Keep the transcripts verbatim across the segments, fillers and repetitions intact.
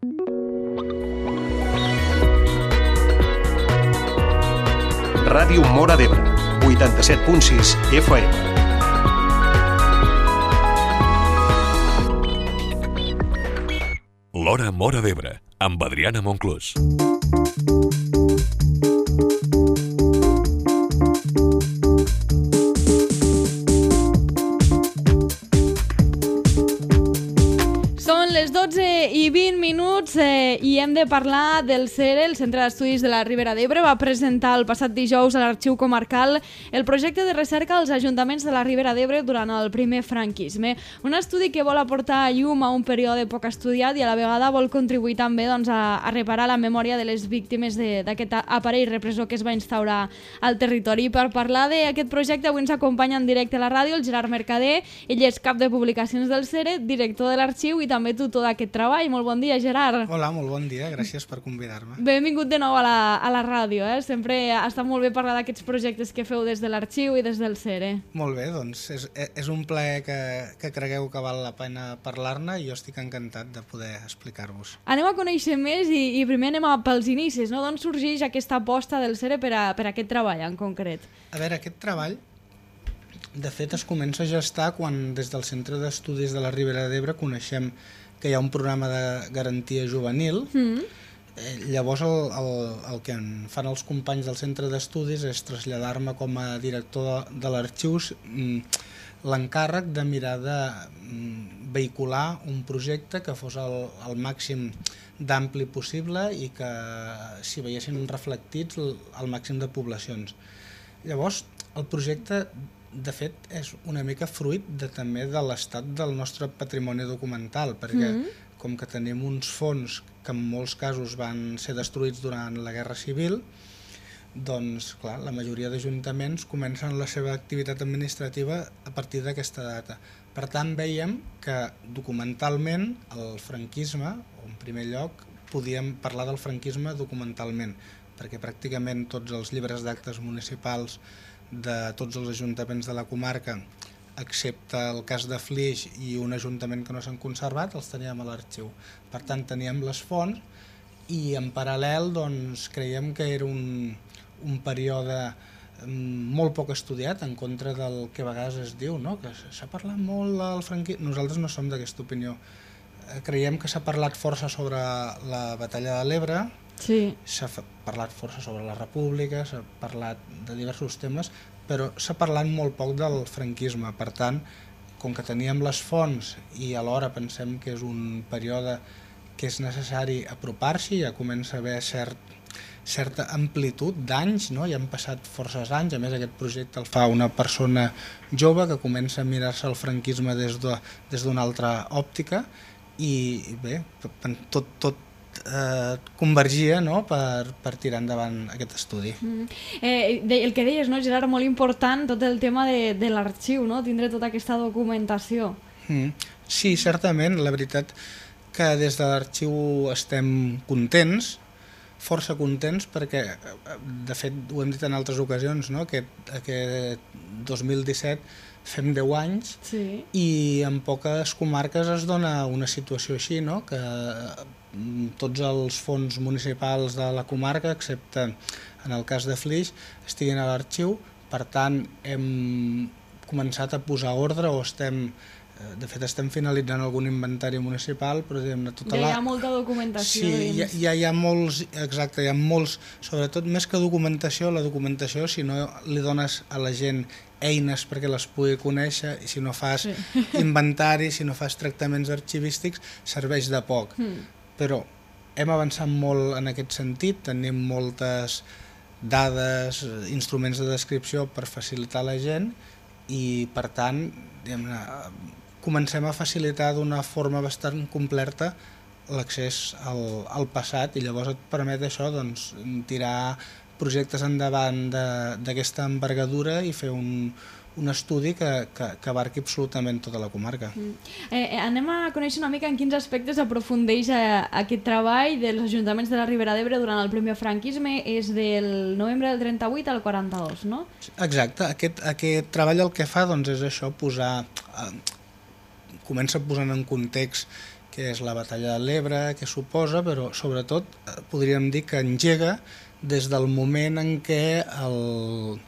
Ràdio Móra d'Ebre, vuitanta-set punt sis F M. L'Hora Móra d'Ebre, amb Adriana Monclús. dotze i vint minuts eh, i hem de parlar del CERE, el Centre d'Estudis de la Ribera d'Ebre. Va presentar el passat dijous a l'Arxiu Comarcal el projecte de recerca als ajuntaments de la Ribera d'Ebre durant el primer franquisme. Un estudi que vol aportar llum a un període poc estudiat i a la vegada vol contribuir també doncs, a, a reparar la memòria de les víctimes d'aquest aparell repressor que es va instaurar al territori. Per parlar d'aquest projecte avui ens acompanya en directe a la ràdio el Gerard Mercader. Ell és cap de publicacions del CERE, director de l'arxiu i també tutor d'aquest treball. Molt bon dia, Gerard. Hola, molt bon dia, gràcies per convidar-me. Benvingut de nou a la, a la ràdio, eh? Sempre està molt bé parlar d'aquests projectes que feu des de l'arxiu i des del CERE. Molt bé, doncs és, és un plaer que, que cregueu que val la pena parlar-ne i jo estic encantat de poder explicar-vos. Anem a conèixer més i, i primer anem a pels inicis, no? D'on sorgeix aquesta aposta del CERE per, a, per a aquest treball en concret? A veure, aquest treball de fet es comença a gestar quan des del Centre d'Estudis de la Ribera d'Ebre coneixem que hi ha un programa de garantia juvenil. Mm. Eh, llavors el, el, el que en fan els companys del centre d'estudis és traslladar-me com a director de, de l'arxiu mm, l'encàrrec de mirar de mm, vehicular un projecte que fos el, el màxim d'ampli possible i que s'hi veiessin reflectits el, el màxim de poblacions. Llavors el projecte de fet, és una mica fruit de, també de l'estat del nostre patrimoni documental, perquè mm-hmm. com que tenim uns fons que en molts casos van ser destruïts durant la Guerra Civil, doncs, clar, la majoria d'ajuntaments comencen la seva activitat administrativa a partir d'aquesta data. Per tant, veiem que documentalment el franquisme, o en primer lloc, podíem parlar del franquisme documentalment, perquè pràcticament tots els llibres d'actes municipals de tots els ajuntaments de la comarca, excepte el cas de Flix i un ajuntament que no s'han conservat, els teníem a l'arxiu. Per tant, teníem les fonts i en paral·lel doncs, creiem que era un, un període molt poc estudiat en contra del que a vegades es diu, no? Que s'ha parlat molt del franquisme. Nosaltres no som d'aquesta opinió. Creiem que s'ha parlat força sobre la batalla de l'Ebre, sí. S'ha parlat força sobre la República, s'ha parlat de diversos temes, però s'ha parlat molt poc del franquisme. Per tant, com que teníem les fonts i alhora pensem que és un període que és necessari apropar-s'hi, ja comença a haver cert, certa amplitud d'anys, no? Ja han passat forces anys, a més aquest projecte el fa una persona jove que comença a mirar-se el franquisme des de, des d'una altra òptica i bé, tot, tot Eh, convergia, no? per, per tirar endavant aquest estudi. Mm. Eh, de, el que deies, no, Gerard, molt important tot el tema de, de l'arxiu, no? Tindre tota aquesta documentació. Mm. Sí, certament, la veritat que des de l'arxiu estem contents, força contents, perquè de fet ho hem dit en altres ocasions, no? Aquest, aquest dos mil disset fem deu anys, sí. I en poques comarques es dona una situació així, no? Que tots els fons municipals de la comarca, excepte en el cas de Flix, estiguin a l'arxiu. Per tant, hem començat a posar ordre o estem, de fet estem finalitzant algun inventari municipal, però diguem-ne tota la... Ja hi ha molta documentació. Sí, ja, ja hi ha molts, exacte, hi ha molts, sobretot més que documentació, la documentació, si no li dones a la gent eines perquè les pugui conèixer i si no fas sí. inventari, si no fas tractaments arxivístics, serveix de poc. Mm. Però hem avançat molt en aquest sentit, tenim moltes dades, instruments de descripció per facilitar la gent i per tant diguem-ne, comencem a facilitar d'una forma bastant completa l'accés al, al passat i llavors et permet això doncs, tirar projectes endavant d'aquesta envergadura i fer un, un estudi que, que, que abarqui absolutament tota la comarca. Mm. Eh, anem a conèixer una mica en quins aspectes aprofundeix a, aquest treball dels ajuntaments de la Ribera d'Ebre durant el primer franquisme. És del novembre del trenta-vuit al quaranta-dos, no? Exacte. Aquest, aquest treball el que fa doncs, és això, posar... Eh, comença posant en context què és la batalla de l'Ebre, què suposa, però sobretot podríem dir que engega des del moment en què, el,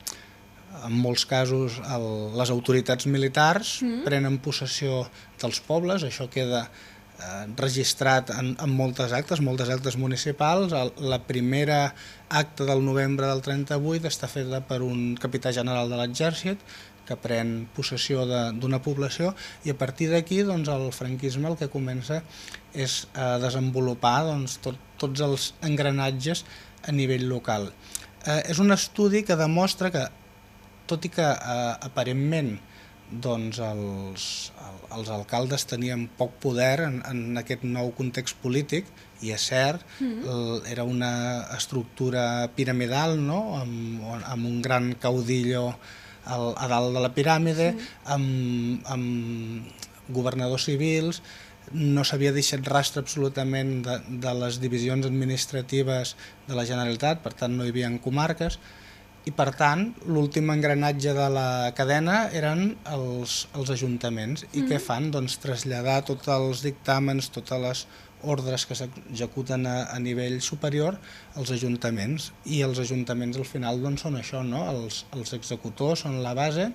en molts casos, el, les autoritats militars mm. prenen possessió dels pobles, això queda eh, registrat en, en moltes actes, moltes actes municipals. El, la primera acta del novembre del trenta-vuit està feta per un capità general de l'exèrcit, que pren possessió d'una població, i a partir d'aquí doncs, el franquisme el que comença és a desenvolupar doncs, tot, tots els engranatges a nivell local. Eh, és un estudi que demostra que, tot i que eh, aparentment doncs, els, els alcaldes tenien poc poder en, en aquest nou context polític, i és cert, mm. era una estructura piramidal, no? amb, amb un gran caudillo a dalt de la piràmide, sí. amb, amb governadors civils, no s'havia deixat rastre absolutament de, de les divisions administratives de la Generalitat, per tant no hi havia comarques, i per tant l'últim engranatge de la cadena eren els, els ajuntaments. I mm. què fan? Doncs traslladar tots els dictàmens, totes les ordres que s'executen a, a nivell superior als ajuntaments, i els ajuntaments al final doncs, són això, no? els, els executors són la base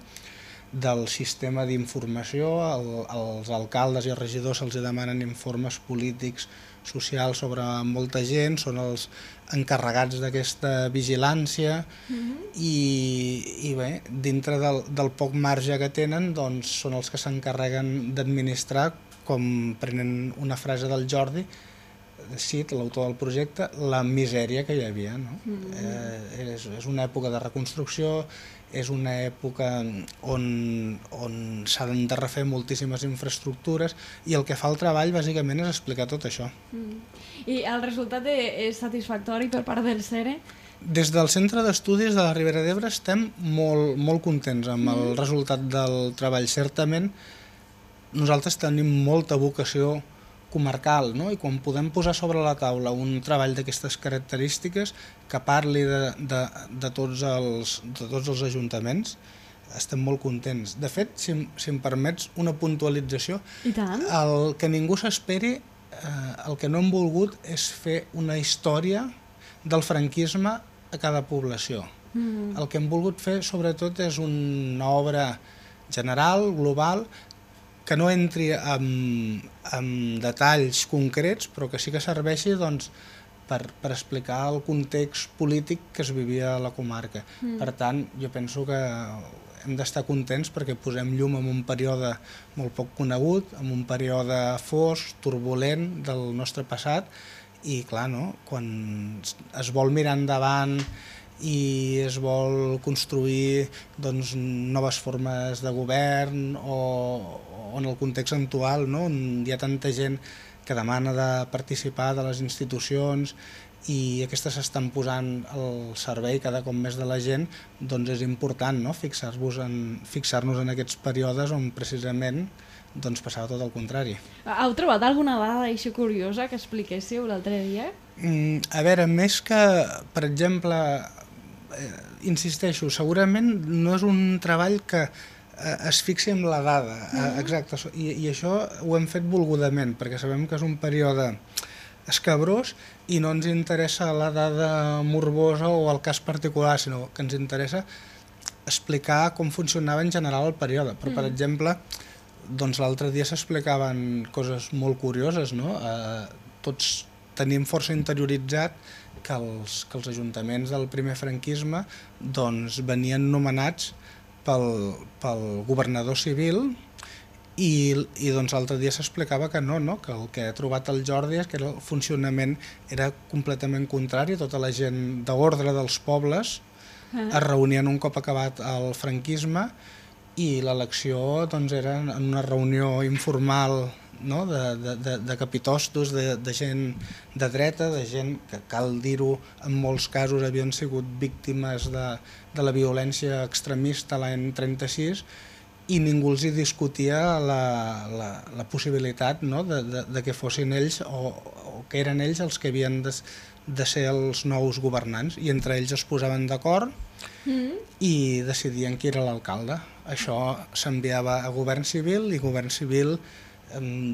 del sistema d'informació. El, els alcaldes i els regidors se'ls demanen informes polítics, socials sobre molta gent, són els encarregats d'aquesta vigilància. Mm-hmm. i, i bé, dintre del, del poc marge que tenen doncs, són els que s'encarreguen d'administrar, com prenen una frase del Jordi Cid, l'autor del projecte, la misèria que hi havia. No? Mm. Eh, és, és una època de reconstrucció, és una època on, on s'han de refer moltíssimes infraestructures, i el que fa el treball bàsicament és explicar tot això. Mm. I el resultat és satisfactori per part del CERE? Des del Centre d'Estudis de la Ribera d'Ebre estem molt, molt contents amb el mm. resultat del treball. Certament, nosaltres tenim molta vocació comarcal, no? I quan podem posar sobre la taula un treball d'aquestes característiques que parli de, de, de, tots els, de tots els ajuntaments, estem molt contents. De fet, si, si em permets una puntualització, I tant. El que ningú s'esperi, eh, el que no hem volgut és fer una història del franquisme a cada població. Mm. El que hem volgut fer, sobretot, és una obra general, global, que no entri en, en detalls concrets, però que sí que serveixi doncs, per, per explicar el context polític que es vivia a la comarca. Mm. Per tant, jo penso que hem d'estar contents perquè posem llum en un període molt poc conegut, en un període fosc, turbulent del nostre passat, i clar, no? Quan es vol mirar endavant i es vol construir doncs, noves formes de govern, o, o en el context actual, no? On hi ha tanta gent que demana de participar de les institucions i aquestes s'estan posant al servei cada cop més de la gent, doncs és important, no? Fixar-nos en, fixar-nos en aquests períodes on precisament doncs passava tot el contrari. Heu trobat alguna dada així curiosa que expliquéssiu l'altre dia? Mm, a veure, més que, per exemple, eh, insisteixo, segurament no és un treball que eh, es fixi en la dada, eh, exacte, i, i això ho hem fet volgudament, perquè sabem que és un període escabrós i no ens interessa la dada morbosa o el cas particular, sinó que ens interessa explicar com funcionava en general el període. Però, per exemple, doncs l'altre dia s'explicaven coses molt curioses, no? Eh, tots tenim força interioritzat que els, que els ajuntaments del primer franquisme doncs, venien nomenats pel, pel governador civil, i, i doncs l'altre dia s'explicava que no, no, que el que ha trobat el Jordi és que el funcionament era completament contrari. Tota la gent d'ordre dels pobles es reunien un cop acabat el franquisme, i l'elecció doncs, era en una reunió informal, no? de, de, de, de capitostos, de, de gent de dreta, de gent que, cal dir-ho, en molts casos havien sigut víctimes de, de la violència extremista l'any trenta-sis, i ningú els hi discutia la, la, la possibilitat, no? de, de, de que fossin ells o, o que eren ells els que havien de, de ser els nous governants, i entre ells es posaven d'acord mm. i decidien qui era l'alcalde. Això s'enviava a govern civil, i govern civil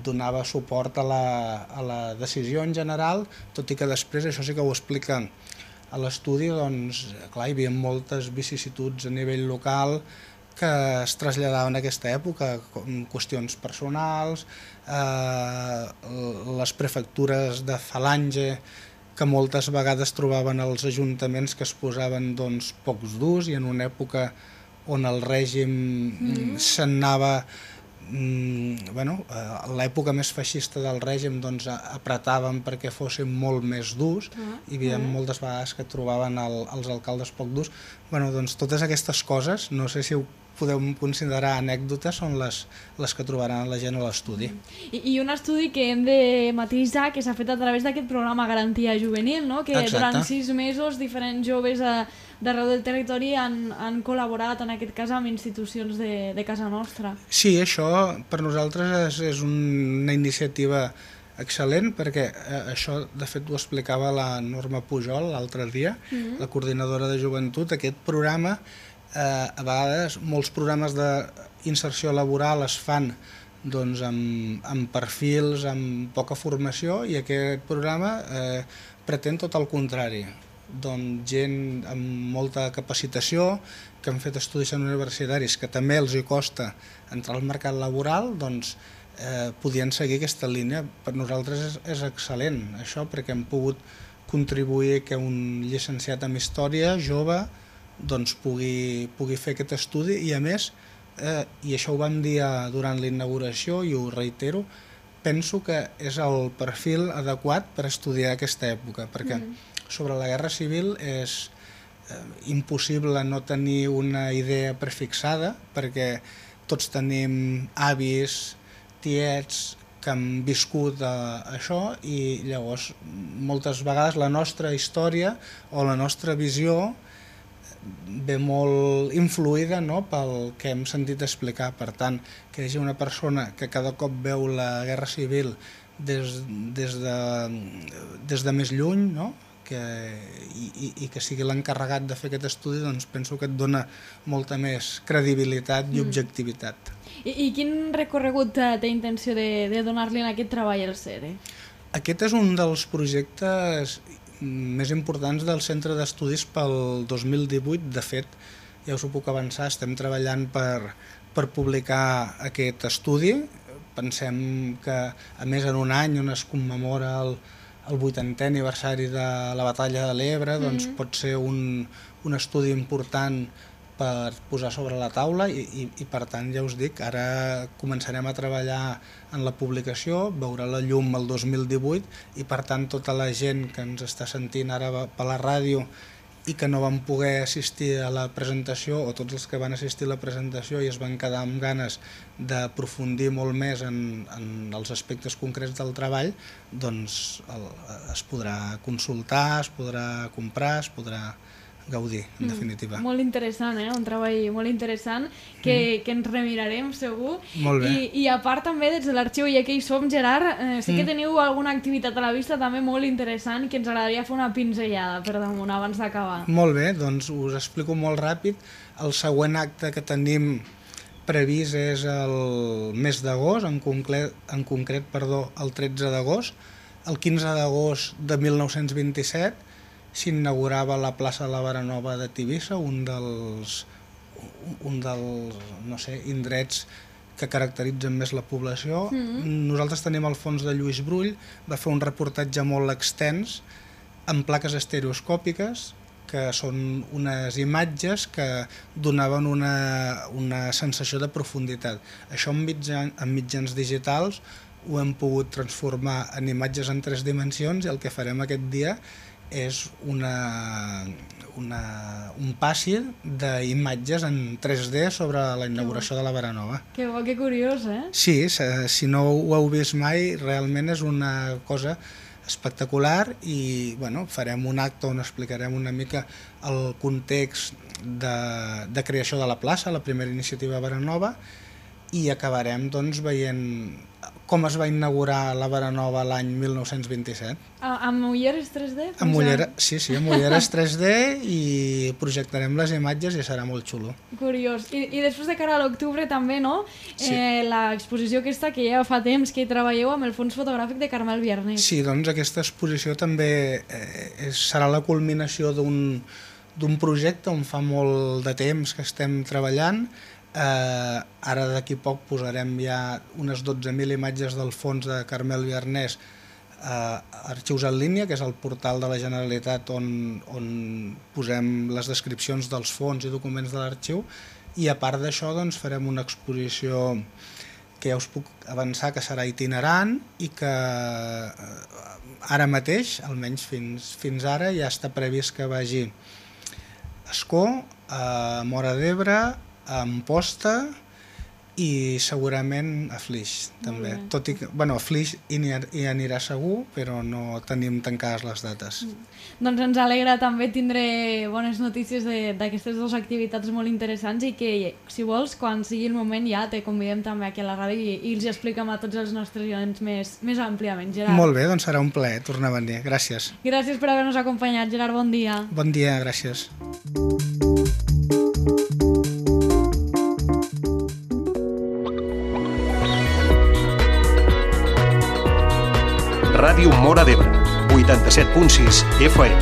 donava suport a la, a la decisió en general, tot i que després, això sí que ho explica a l'estudi, doncs, clar, hi havia moltes vicissituds a nivell local que es traslladaven a aquesta època, com qüestions personals, eh, les prefectures de falange, que moltes vegades trobaven els ajuntaments que es posaven doncs, pocs durs, i en una època on el règim mm. se'n anava, mm, bueno, a l'època més feixista del règim, doncs apretaven perquè fossin molt més durs, ah, hi havia ah. moltes vegades que trobaven el, els alcaldes poc durs. Bueno, doncs totes aquestes coses, no sé si ho podeu considerar anècdotes, són les, les que trobaran la gent a l'estudi. I, I un estudi que hem de matisar, que s'ha fet a través d'aquest programa Garantia Juvenil, no? Que Exacte. Durant sis mesos diferents joves a, d'arreu del territori han, han col·laborat, en aquest cas, amb institucions de, de casa nostra. Sí, això per nosaltres és, és una iniciativa excel·lent, perquè eh, això de fet ho explicava la Norma Pujol l'altre dia, mm-hmm. la coordinadora de joventut. Aquest programa, eh, a vegades molts programes d'inserció laboral es fan doncs, amb, amb perfils, amb poca formació, i aquest programa eh, pretén tot el contrari. Doncs gent amb molta capacitació, que han fet estudis universitaris, que també els hi costa entrar al mercat laboral, doncs eh, podien seguir aquesta línia. Per nosaltres és, és excel·lent això, perquè hem pogut contribuir que un llicenciat en Història, jove, doncs pugui, pugui fer aquest estudi, i a més, eh, i això ho vam dir durant la inauguració i ho reitero, penso que és el perfil adequat per estudiar aquesta època, perquè mm. sobre la Guerra Civil és eh, impossible no tenir una idea prefixada, perquè tots tenim avis, tiets, que han viscut eh, això, i llavors moltes vegades la nostra història o la nostra visió ve molt influïda, no?, pel que hem sentit explicar. Per tant, que hi hagi una persona que cada cop veu la Guerra Civil des, des, de, des de més lluny, no?, que, i, i que sigui l'encarregat de fer aquest estudi, doncs penso que et dona molta més credibilitat i objectivitat. Mm. I, I quin recorregut té intenció de, de donar-li en aquest treball al CERE? Aquest és un dels projectes més importants del Centre d'Estudis pel dos mil divuit. De fet, ja us ho puc avançar, estem treballant per, per publicar aquest estudi. Pensem que, a més, en un any on es commemora el, el vuitantè aniversari de la Batalla de l'Ebre, doncs mm-hmm. pot ser un, un estudi important per posar sobre la taula, i, i, i per tant, ja us dic, ara començarem a treballar en la publicació, veurà la llum el dos mil divuit, i per tant tota la gent que ens està sentint ara per la ràdio i que no van poder assistir a la presentació, o tots els que van assistir a la presentació i es van quedar amb ganes d'aprofundir molt més en, en els aspectes concrets del treball, doncs el, es podrà consultar, es podrà comprar, es podrà gaudir, en definitiva. Mm, molt interessant, eh? Un treball molt interessant que, mm. que ens remirarem, segur. Molt bé. I, i a part també des de l'arxiu, ja que hi som, Gerard, eh, sí que mm. teniu alguna activitat a la vista també molt interessant que ens agradaria fer una pinzellada per damunt abans d'acabar. Molt bé, doncs us explico molt ràpid. El següent acte que tenim previst és el mes d'agost, en concret, en concret perdó, el tretze d'agost. El quinze d'agost de mil nou-cents vint-i-set s'inaugurava la plaça de la Baranova de Tivissa, un dels, un dels no sé, indrets que caracteritzen més la població. Mm-hmm. Nosaltres tenim el fons de Lluís Brull, va fer un reportatge molt extens amb plaques estereoscòpiques, que són unes imatges que donaven una, una sensació de profunditat. Això amb mitjans, amb mitjans digitals ho hem pogut transformar en imatges en tres dimensions, i el que farem aquest dia és una, una, un passi d'imatges en tres D sobre la inauguració de la Baranova. Que bo, que curiós, eh? Sí, si no ho heu vist mai, realment és una cosa espectacular, i bueno, farem un acte on explicarem una mica el context de, de creació de la plaça, la primera iniciativa Baranova, i acabarem doncs, veient com es va inaugurar la Veranova l'any mil nou-cents vint-i-set. A, amb ulleres tres D? Amb ullera, sí, sí, amb ulleres tres D i projectarem les imatges i serà molt xulo. Curiós. I, i després de cara a l'octubre també, no? Sí. Eh, l'exposició aquesta que ja fa temps que treballeu amb el fons fotogràfic de Carmel Viernes. Sí, doncs aquesta exposició també eh, és, serà la culminació d'un d'un projecte on fa molt de temps que estem treballant. Eh, ara d'aquí poc posarem ja unes dotze mil imatges del fons de Carmel Viernes a Arxius en línia, que és el portal de la Generalitat on, on posem les descripcions dels fons i documents de l'arxiu, i a part d'això doncs, farem una exposició que ja us puc avançar que serà itinerant i que ara mateix, almenys fins, fins ara, ja està previst que vagi a Ascó, a Móra d'Ebre, a Amposta i segurament a Flix també. Tot i que, bueno, a Flix hi, hi anirà segur, però no tenim tancades les dates. Doncs ens alegra també tindre bones notícies d'aquestes dues activitats molt interessants i que, si vols, quan sigui el moment ja te convidem també aquí a la ràdio i, i els expliquem a tots els nostres oients més, més àmpliament. Gerard. Molt bé, doncs serà un plaer tornar a venir. Gràcies. Gràcies per haver-nos acompanyat, Gerard. Bon dia. Bon dia, gràcies. Ràdio Móra d'Ebre, vuitanta-set punt sis F M.